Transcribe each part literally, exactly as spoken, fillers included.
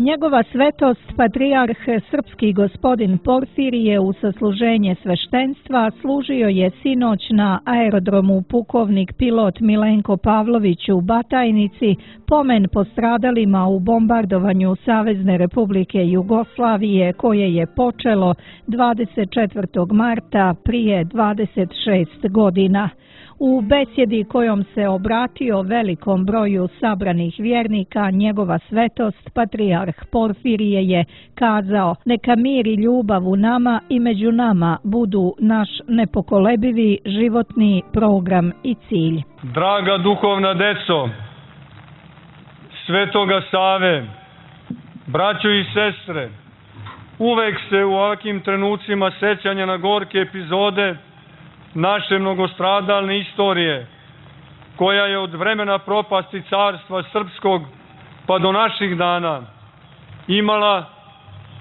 Njegova svetost, patrijarh srpski gospodin Porfirije, u sasluženje sveštenstva služio je sinoć na aerodromu pukovnik pilot Milenko Pavlović u Batajnici, pomen postradalima u bombardovanju Savezne Republike Jugoslavije koje je počelo dvadeset četvrtog marta prije dvadeset šest godina. U besjedi kojom se obratio velikom broju sabranih vjernika, njegova svetost, patrijarh Porfirije, je kazao: neka mir i ljubav u nama i među nama budu naš nepokolebivi životni program i cilj. Draga duhovna deco Svetoga Save, braćo i sestre, uvek se u ovakvim trenucima sećanja na gorke epizode naše mnogostradalne istorije, koja je od vremena propasti carstva srpskog pa do naših dana imala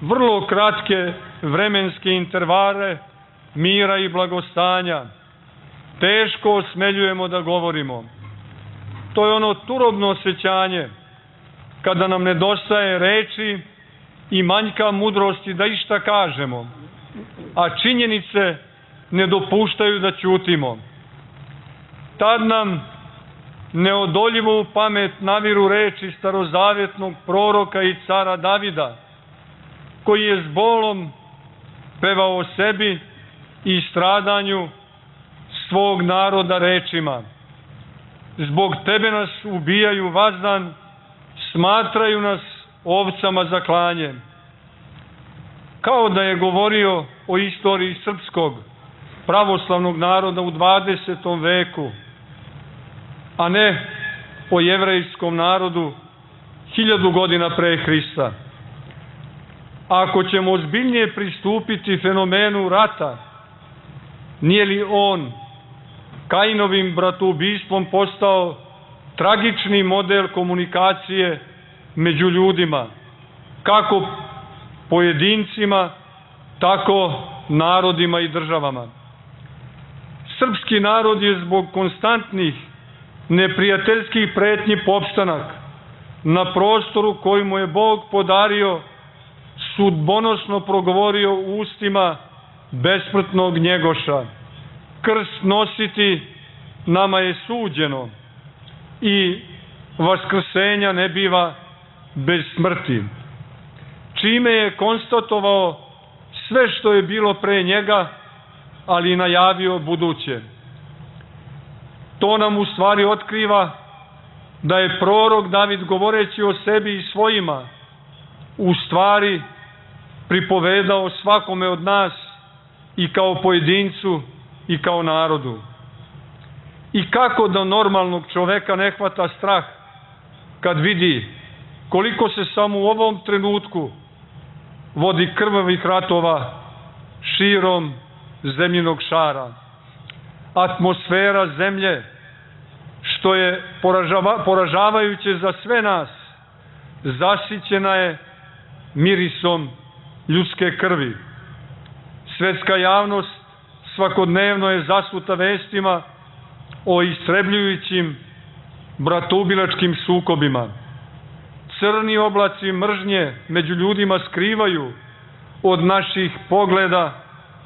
vrlo kratke vremenske intervale mira i blagostanja, teško osmeljujemo da govorimo. To je ono turobno osjećanje kada nam nedostaje reči i manjka mudrosti da išta kažemo, a činjenice ne dopuštaju da ćutimo. Tad nam neodoljivo u pamet naviru reči starozavjetnog proroka i cara Davida, koji je s bolom pevao o sebi i stradanju svog naroda rečima: zbog tebe nas ubijaju vazdan, smatraju nas ovcama za klanje. Kao da je govorio o istoriji srpskog pravoslavnog naroda u dvadesetom veku, a ne o jevrejskom narodu hiljadu godina pre Hrista. Ako ćemo ozbiljnije pristupiti fenomenu rata, nije li on Kainovim bratoubistvom postao tragični model komunikacije među ljudima, kako pojedincima, tako narodima i državama? Srpski narod je zbog konstantnih neprijateljskih pretnji popstanak na prostoru koji mu je Bog podario sudbonosno progovorio ustima besmrtnog Njegoša: krst nositi nama je suđeno i vaskrsenja ne biva bez smrti, čime je konstatovao sve što je bilo pre njega, ali i najavio buduće. To nam u stvari otkriva da je prorok David, govoreći o sebi i svojima, u stvari pripovedao svakome od nas, i kao pojedincu i kao narodu. I kako da normalnog čoveka ne hvata strah kad vidi koliko se samo u ovom trenutku vodi krvavih ratova širom zemljinog šara. Atmosfera zemlje, što je poražava, poražavajuće za sve nas, zasićena je mirisom ljudske krvi. Svetska javnost svakodnevno je zasuta vestima o istrebljujućim bratoubilačkim sukobima. Crni oblaci mržnje među ljudima skrivaju od naših pogleda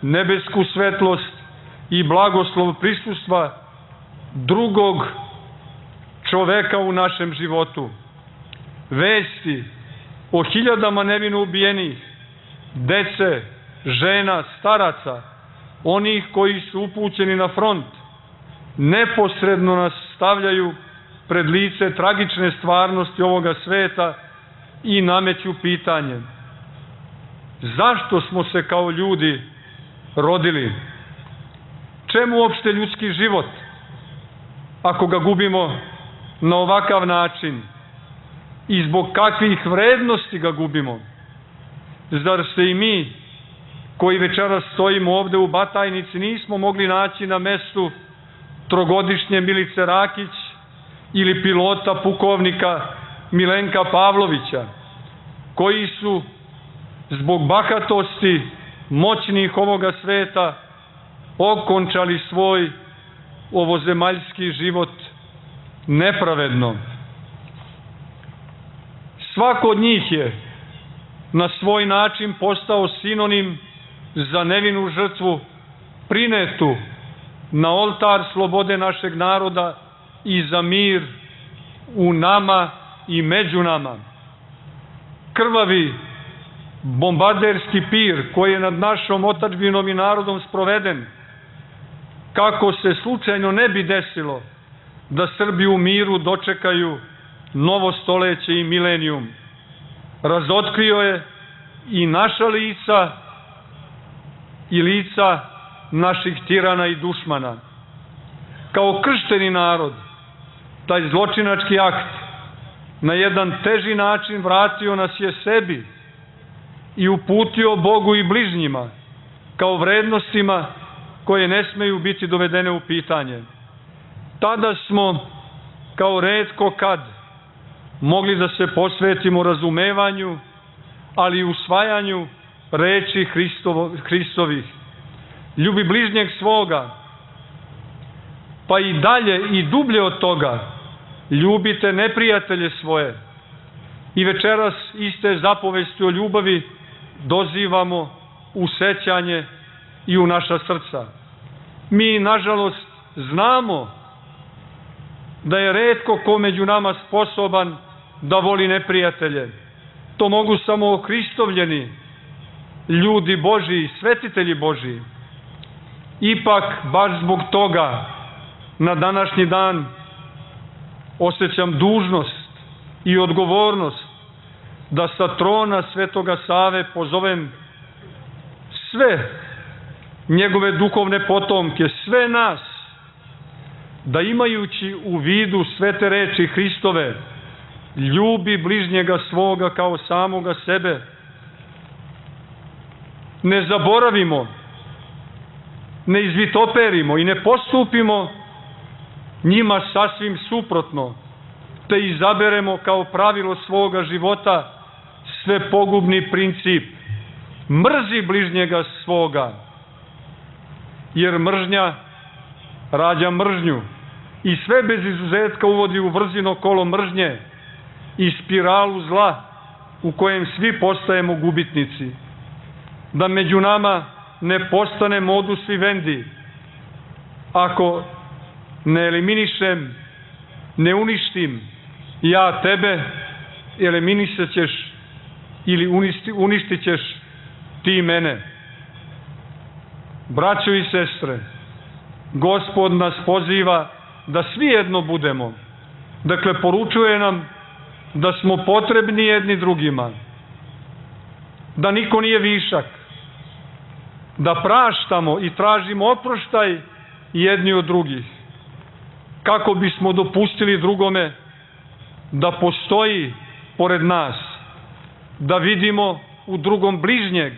nebesku svetlost i blagoslov prisustva drugog čoveka u našem životu. Vesti o hiljadama nevino ubijenih, dece, žena, staraca, onih koji su upućeni na front, neposredno nas stavljaju pred lice tragične stvarnosti ovoga sveta i nameću pitanje: zašto smo se kao ljudi rodili? Čemu uopšte ljudski život ako ga gubimo na ovakav način? I zbog kakvih vrednosti ga gubimo? Zar se i mi, koji večeras stojimo ovde u Batajnici, nismo mogli naći na mestu trogodišnje Milice Rakić ili pilota pukovnika Milenka Pavlovića, koji su zbog bahatosti moćnih ovoga sveta okončali svoj ovozemaljski život nepravedno? Svako od njih je na svoj način postao sinonim za nevinu žrtvu prinetu na oltar slobode našeg naroda i za mir u nama i među nama. Krvavi bombarderski pir koji je nad našom otadžbinom i narodom sproveden, kako se slučajno ne bi desilo da Srbi u miru dočekaju novo stoleće i milenijum, razotkrio je i naša lica i lica naših tirana i dušmana. Kao kršteni narod, taj zločinački akt na jedan teži način vratio nas je sebi i uputio Bogu i bližnjima kao vrednostima koje ne smeju biti dovedene u pitanje. Tada smo, kao retko kad, mogli da se posvetimo razumevanju, ali i usvajanju reči Hristovo, Hristovih. Ljubi bližnjeg svoga, pa i dalje i dublje od toga, ljubite neprijatelje svoje. I večeras iste zapovesti o ljubavi dozivamo u sećanje i u naša srca. Mi, nažalost, znamo da je retko ko među nama sposoban da voli neprijatelje. To mogu samo Hristovljeni, ljudi Božiji, svetitelji Božiji. Ipak, baš zbog toga, na današnji dan osjećam dužnost i odgovornost da sa trona Svetoga Save pozovem sve njegove duhovne potomke, sve nas, da imajući u vidu sve te reči Hristove, ljubi bližnjega svoga kao samoga sebe, ne zaboravimo, ne izvitoperimo i ne postupimo njima sasvim suprotno, te izaberemo kao pravilo svoga života sve pogubni princip: mrzi bližnjega svoga, jer mržnja rađa mržnju i sve bez izuzetka uvodi u vrzino kolo mržnje i spiralu zla u kojem svi postajemo gubitnici. Da među nama ne postane modus vivendi, ako ne eliminišem, ne uništim ja tebe, eliminisat ćeš ili uništi, uništit ćeš ti mene. Braćo i sestre, Gospod nas poziva da svi jedno budemo. Dakle, poručuje nam da smo potrebni jedni drugima, da niko nije višak, da praštamo i tražimo oproštaj jedni od drugih, kako bismo dopustili drugome da postoji pored nas, da vidimo u drugom bližnjeg,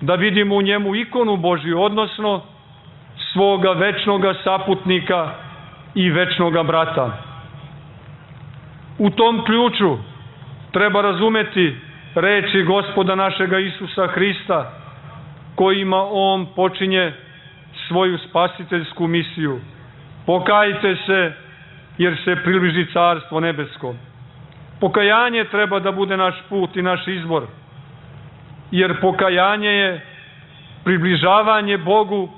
da vidimo u njemu ikonu Božju, odnosno svoga večnoga saputnika i večnoga brata. U tom ključu treba razumeti reči Gospoda našega Isusa Hrista, kojima On počinje svoju spasiteljsku misiju. Pokajte se, jer se približi Carstvo nebesko. Pokajanje treba da bude naš put i naš izbor, jer pokajanje je približavanje Bogu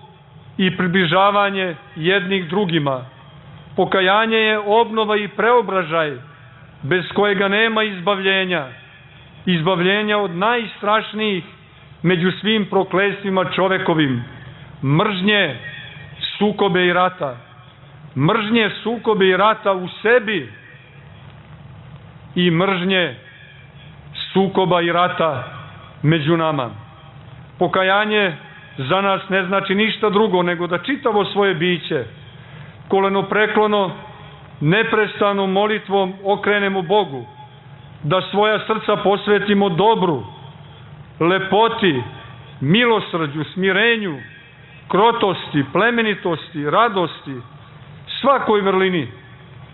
i približavanje jednih drugima. Pokajanje je obnova i preobražaj, bez kojega nema izbavljenja, izbavljenja od najstrašnijih među svim proklestvima čovekovim: mržnje, sukobe i rata. Mržnje, sukobe i rata u sebi i mržnje, sukoba i rata među nama. Pokajanje za nas ne znači ništa drugo nego da čitavo svoje biće kolenopreklono, neprestanom molitvom okrenemo Bogu, da svoja srca posvetimo dobru, lepoti, milosrđu, smirenju, krotosti, plemenitosti, radosti, svakoj vrlini,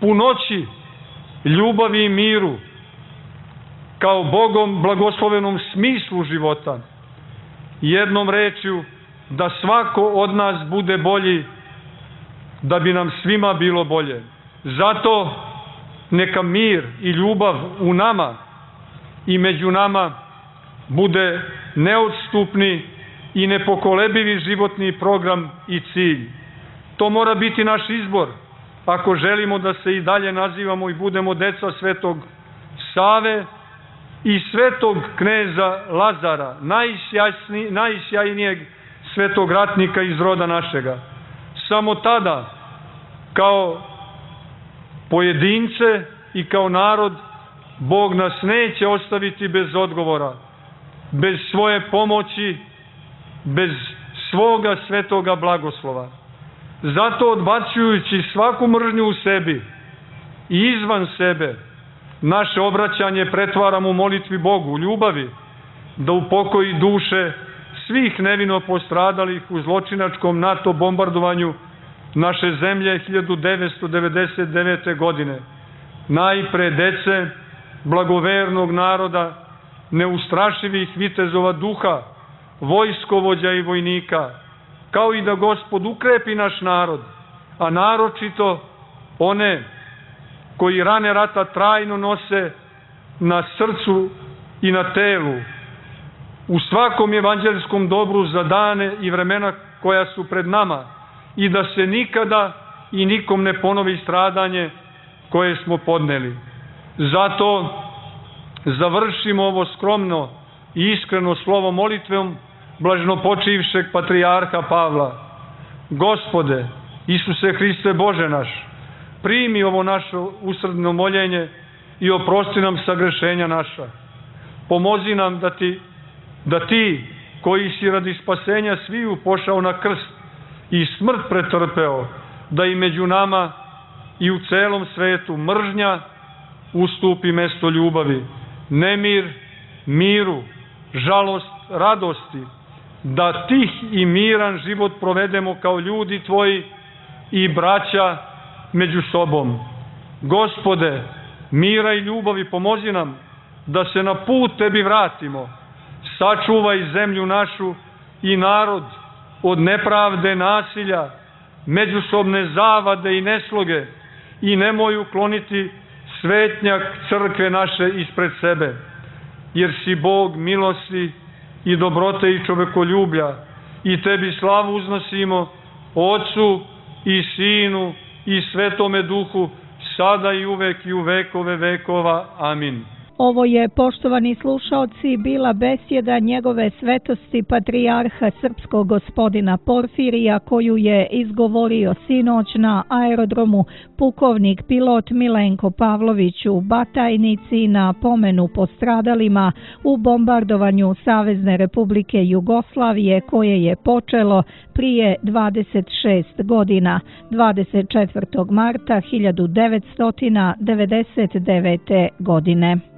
punoći, ljubavi i miru, kao Bogom blagoslovenom smislu života. Jednom rečju, da svako od nas bude bolji, da bi nam svima bilo bolje. Zato neka mir i ljubav u nama i među nama bude neodstupni i nepokolebivi životni program i cilj. To mora biti naš izbor ako želimo da se i dalje nazivamo i budemo deca Svetog Save i svetog kneza Lazara, najsjajnijeg svetog ratnika iz roda našega. Samo tada, kao pojedince i kao narod, Bog nas neće ostaviti bez odgovora, bez svoje pomoći, bez svoga svetoga blagoslova. Zato, odbacujući svaku mržnju u sebi i izvan sebe, naše obraćanje pretvaramo u molitvi Bogu, u ljubavi, da upokoji duše svih nevino postradalih u zločinačkom NATO bombardovanju naše zemlje hiljadu devetsto devedeset devete. godine. Najpre dece, blagovernog naroda, neustrašivih vitezova duha, vojskovođa i vojnika, kao i da Gospod ukrepi naš narod, a naročito one koji rane rata trajno nose na srcu i na telu, u svakom evanđelskom dobru za dane i vremena koja su pred nama, i da se nikada i nikom ne ponovi stradanje koje smo podneli. Zato završimo ovo skromno i iskreno slovo molitvom blaženopočivšeg patrijarha Pavla. Gospode, Isuse Hriste Bože naš, primi ovo naše usrdno moljenje i oprosti nam sagrešenja naša. Pomozi nam da ti, da ti koji si radi spasenja sviju pošao na krst i smrt pretrpeo, da i među nama i u celom svetu mržnja ustupi mesto ljubavi, nemir miru, žalost radosti, da tih i miran život provedemo kao ljudi tvoji i braća među sobom. Gospode, mira i ljubavi pomozi nam da se na put tebi vratimo. Sačuvaj zemlju našu i narod od nepravde, nasilja, međusobne zavade i nesloge i nemoj ukloniti svetnjak crkve naše ispred sebe, jer si Bog milosti i dobrote i čovekoljublja, i tebi slavu uznosimo, Otcu i Sinu i Svetome Duhu, sada i uvek i u vekove vekova. Amin. Ovo je, poštovani slušaoci, bila besjeda njegove svetosti patrijarha srpskog gospodina Porfirija, koju je izgovorio sinoć na aerodromu pukovnik pilot Milenko Pavlović u Batajnici na pomenu postradalima u bombardovanju Savezne Republike Jugoslavije, koje je počelo prije dvadeset šest godina, dvadeset četvrtog marta hiljadu devetsto devedeset devete. godine.